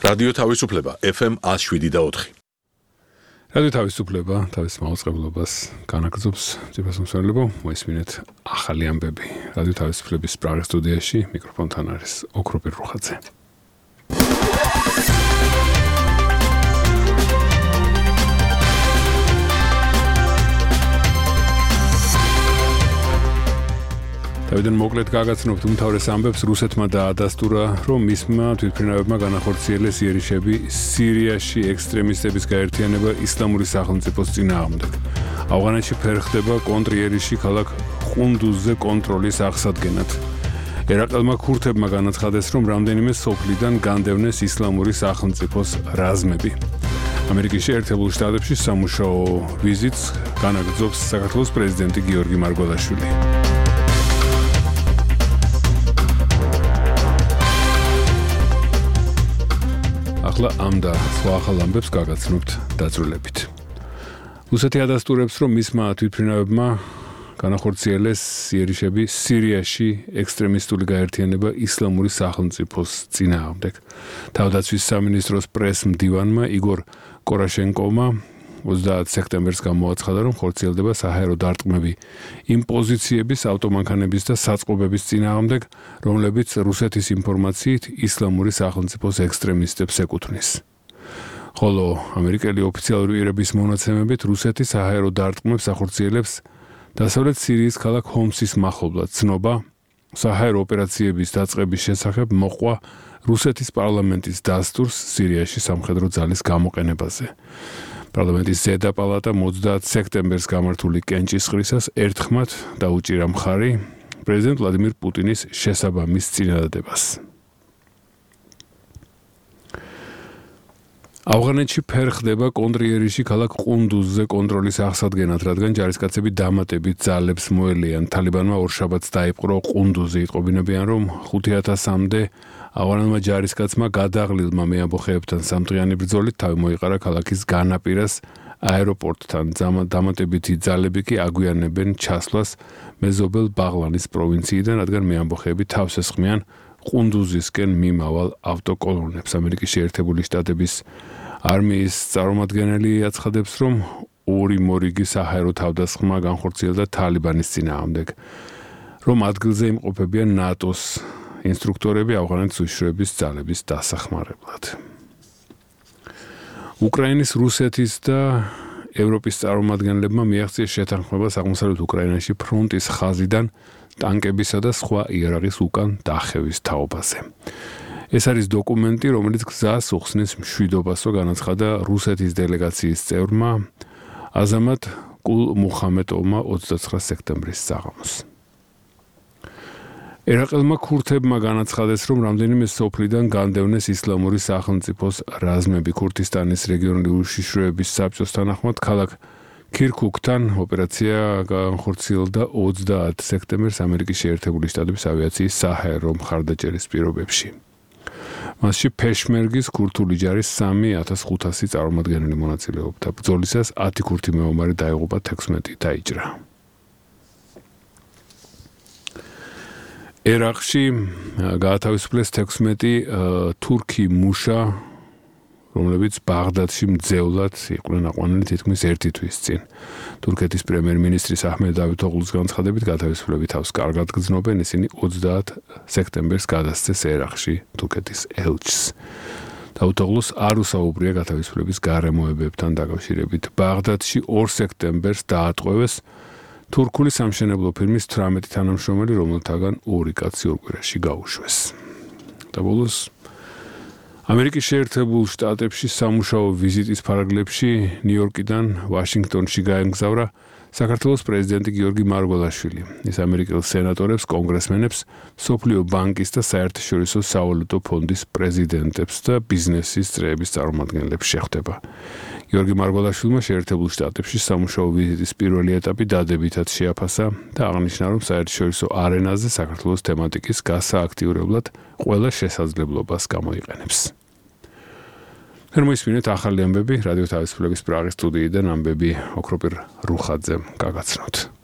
რადიო თავისუფლება FM 107.4. რადიო თავისუფლება თავის მაუწყებლობას განაგრძობს ძვირფასმსვლელებო, მოისმინეთ ახალი ამბები. რადიო თავისუფლების პრაღის სტუდიაში მიკროფონთან არის ოქროპირ რუხაძე. თავიდან მოკლედ გაგაცნობთ უმთავრეს ამბებს. რუსეთმა დაადასტურა, რომ მისმა თვითმფრინავებმა განახორციელეს იერიშები სირიაში ექსტრემისტების გაერთიანება ისლამური სახელმწიფოს წინააღმდეგ. ავღანეთში ფერხდება კონტრიერიში ქალაქ ყუნდუზზე კონტროლის აღსადგენად. ერაყელმა ქურთებმა განაცხადეს, რომ რამდენიმე სოფლიდან განდევნეს ისლამური სახელმწიფოს რაზმები. ამერიკის შეერთებულ შტატებში სამუშაო ვიზიტს განაგრძობს საქართველოს პრეზიდენტი გიორგი მარგველაშვილი. ახლა ამ და სხვა ახალ ამბებს გაგაცნობთ დაწვრილებით. რუსეთი ადასტურებს, რომ მისმა თვითმფრინავებმა განახორციელეს იერიშები სირიაში ექსტრემისტული გაერთიანება ისლამური სახელმწიფოს წინააღმდეგ. თავდაცვის სამინისტროს პრეს-მდივანმა იგორ კორაშენკოვმა 30 სექტემბერს გამოაცხადა, რომ ხორციელდება საჰაერო დარტყმები იმ პოზიციების, ავტომანქანების და საწყობების წინააღმდეგ, რომლებიც რუსეთის ინფორმაციით ისლამური სახელმწიფოს ექსტრემისტებს ეკუთვნის. ხოლო ამერიკელი ოფიციალური პირების მონაცემებით რუსეთი საჰაერო დარტყმებს ახორციელებს დასავლეთ სირიის ქალაქ ჰომსის მახლობლად. ცნობა საჰაერო ოპერაციების დაწყების შესახებ მოყვა რუსეთის პარლამენტის დასტურს სირიაში სამხედრო ძალის გამოყენებაზე. პარლამენტის ზედა პალატამ 30 სექტემბერს გამართული კენჭისყრისას ერთხმად დაუჭირა მხარი პრეზიდენტ ვლადიმირ პუტინის შესაბამის წინადადებას. ავღანეთში ფერხდება კონტრიერიში ქალაქ ყუნდუზზე კონტროლის აღსადგენად, რადგან ჯარისკაცები დამატებით ძალებს მოელიან. თალიბანმა ორშაბათს დაიპყრო ყუნდუზი. იტყობინებიან, რომ 5000-მდე ავღანელმა ჯარისკაცმა გადაღლილმა მეამბოხეებთან სამდღიანი ბრძოლით თავი მოიყარა ქალაქის განაპირას აეროპორტთან. დამატებითი ძალები კი აგვიანებენ ჩასვლას მეზობელ ბაღლანის პროვინციიდან, რადგან მეამბოხეები თავს ესხმიან ყუნდუზისკენ მიმავალ ავტოკოლონებს. ამერიკის შეერთებული შტატების არმიის წარმომადგენელი აცხადებს, რომ ორი მორიგი საჰაერო თავდასხმა განხორციელდა თალიბანის წინააღმდეგ, რომ ადგილზე იმყოფებიან ნატოს ინსტრუქტორები ავღანეთის უშიშროების ძალების დასახმარებლად. უკრაინის, რუსეთის და ევროპის წარმომადგენლებმა მიაღწიეს შეთანხმებას აღმოსავლეთ უკრაინაში ფრონტის ხაზიდან ტანკებისა და სხვა იარაღის უკან დახევის თაობაზე. ეს არის დოკუმენტი, რომელიც გზას უხსნის მშვიდობასო, განაცხადა რუსეთის დელეგაციის წევრმა აზამატ კულ-მუხამედოვმა 29 სექტემბრის საღამოს. ერაყელმა ქურთებმა განაცხადეს, რომ რამდენიმე სოფლიდან განდევნეს ისლამური სახელმწიფოს რაზმები. ქურთისტანის რეგიონული უშიშროების საბჭოს თანახმად ქალაქ ქირქუკთან ოპერაცია განხორციელდა 30 სექტემბერს ამერიკის შეერთებული შტატების ავიაციის საჰაერო მხარდაჭერის პირობებში. მასში ფეშმერგის ქურთული ჯარის 3500 წარმომადგენელი მონაწილეობდა. ბრძოლისას 10 ქურთი მეომარი დაიღუპა, 16 დაიჭრა. ერაყში გაათავისუფლეს 16 თურქი მუშა, რომლებიც ბაღდადში მძევლად იყვნენ აყვანილი თითქმის 1 თვის წინ. თურქეთის პრემიერ-მინისტრის აჰმედ დავითოღლუს განცხადებით, გათავისუფლები თავს კარგად გრძნობენ. ისინი 30 სექტემბერს გადასცეს ერაყში თურქეთის ელჩს. დავითოღლუს არ უსაუბრია გათავისუფლების გარემოებებთან დაკავშირებით. ბაღდადში 2 სექტემბერს დაატყვევეს თურქული სამშენებლო ფირმის 18 თანამშრომელი, რომელთაგან 2 კაცი ორ კვირაში გაუშვეს. და ბოლოს ამერიკის შეერთებულ შტატებში სამუშაო ვიზიტის ფარგლებში ნიუ-იორკიდან ვაშინგტონში გაემგზავრა საქართველოს პრეზიდენტი გიორგი მარგველაშვილი. ის ამერიკელ სენატორებს, კონგრესმენებს, მსოფლიო ბანკის და საერთაშორისო სავალუტო ფონდის პრეზიდენტებს და ბიზნესის წრეების წარმომადგენლებს შეხვდება. გიორგი მარგველაშვილმა შეერთებულ შტატებში სამუშაო ვიზიტის პირველი ეტაპი დადებითად შეაფასა და აღნიშნა, რომ საერთაშორისო არენაზე საქართველოს თემატიკის გასააქტიურებლად ყველა შესაძლებლობას გამოიყენებს. მოისმინეთ ახალი ამბები რადიო თავისუფლების პრაღის სტუდიიდან. ამბები ოქროპირ რუხაძემ გაგაცნოთ.